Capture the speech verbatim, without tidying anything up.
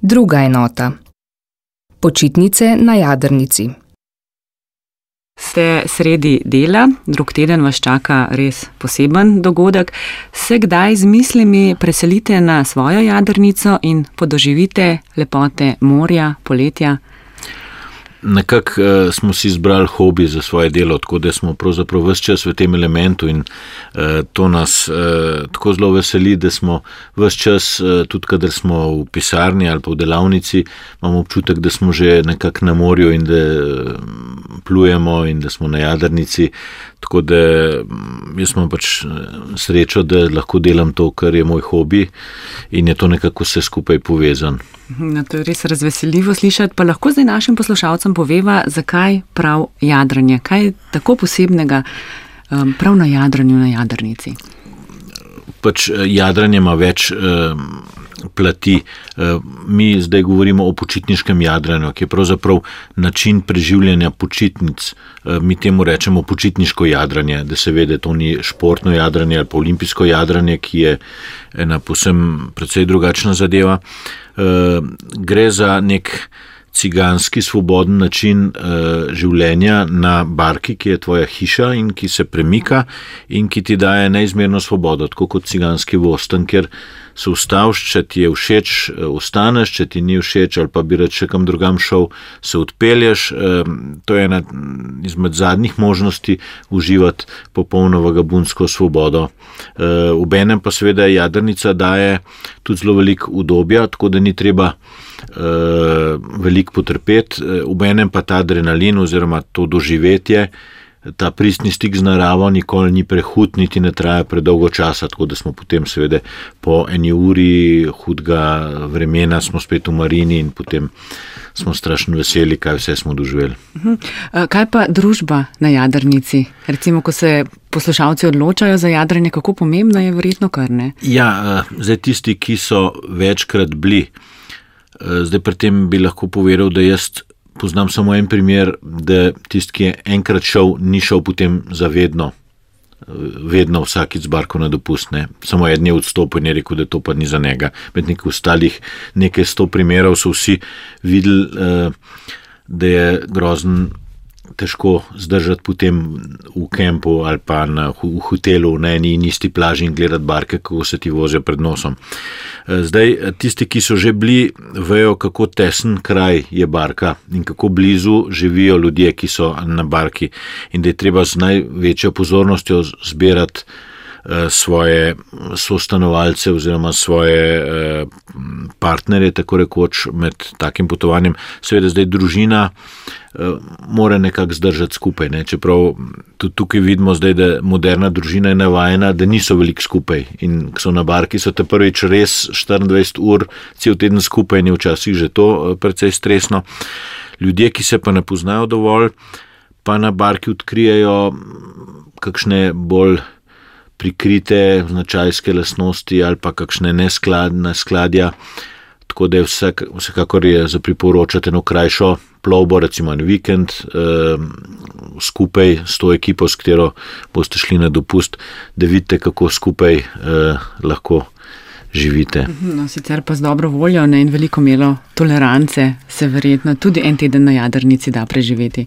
Druga enota. Počitnice na jadrnici. Ste sredi dela, drug teden vas čaka res poseben dogodek. Se kdaj z mislimi preselite na svojo jadrnico in podoživite lepote morja, poletja? Nekako uh, smo si izbrali hobi za svoje delo, tako da smo pravzaprav ves čas v tem elementu in uh, to nas uh, tako zelo veseli, da smo ves čas, uh, tudi kadar smo v pisarni ali pa v delavnici, imamo občutek, da smo že nekako na morju in da uh, plujemo in da smo na jadrnici, tako da jaz imam pač srečo, da lahko delam to, kar je moj hobi in je to nekako vse skupaj povezan. No, to je res razveseljivo slišati, pa lahko zdaj našim poslušalcem poveva, zakaj prav jadranje, kaj je tako posebnega um, prav na jadranju na jadrnici. Pač jadranje ima več um, plati. Mi zdaj govorimo o počitniškem jadranju, ki je pravzaprav način preživljanja počitnic. Mi temu rečemo počitniško jadranje, da se ve, da to ni športno jadranje ali pa olimpijsko jadranje, ki je ena povsem precej drugačna zadeva. Gre za nek ciganski svoboden način uh, življenja na barki, ki je tvoja hiša in ki se premika in ki ti daje neizmerno svobodo, tako kot ciganski vosten, ker se ustaviš, če ti je všeč, ostaneš, če ti ni všeč ali pa bi rad še kam drugam šel, se odpelješ. Uh, to je ena izmed zadnjih možnosti uživati popolno vagabundsko svobodo. Uh, obenem pa seveda jadrnica daje tudi zelo veliko udobja, tako da ni treba Uh, veliko potrpeti, obenem pa ta adrenalin oziroma to doživetje, ta pristni stik z naravo nikoli ni prehud, niti ne traja predolgo časa, tako da smo potem seveda po eni uri hudega vremena smo spet v marini in potem smo strašno veseli, kaj vse smo doživeli. Uh-huh. Kaj pa družba na jadrnici? Recimo, ko se poslušalci odločajo za jadranje, kako pomembno je verjetno kar, ne? Ja, zdaj tisti, ki so večkrat bili, zdaj pri tem bi lahko povedal, da jaz poznam samo en primer, da tisti, ki je enkrat šel, ni šel potem zavedno, vedno vsakič z barko na dopust, ne. Samo eden je odstopil in je rekel, da to pa ni za njega. Med nekaj ostalih nekaj sto primerov so vsi videli, da je grozen težko zdržati potem v kempu ali pa na, v hotelu na eni in isti plaži in gledati barke, kako se ti vozijo pred nosom. Zdaj, tisti, ki so že bili, vejo, kako tesen kraj je barka in kako blizu živijo ljudje, ki so na barki in da je treba z največjo pozornostjo zbirati svoje sostanovalce oziroma svoje partnerje, tako rekoč, med takim potovanjem. Seveda zdaj družina mora nekako zdržati skupaj, ne? Čeprav tudi tukaj vidimo zdaj, da moderna družina je navajena, da niso veliko skupaj in ko so na barki, so te prvič res štiriindvajset ur cel teden skupaj in je včasih že to precej stresno. Ljudje, ki se pa ne poznajo dovolj, pa na barki odkrijejo kakšne bolj prikrite značajske lastnosti ali pa kakšne neskladja, tako da je vsak, vsekakor je za priporočati eno krajšo plovbo, recimo en vikend, eh, skupaj s to ekipo, s katero boste šli na dopust, da vidite, kako skupaj eh, lahko živite. No, sicer pa z dobro voljo, ne, in veliko mero tolerance se verjetno tudi en teden na jadrnici da preživeti.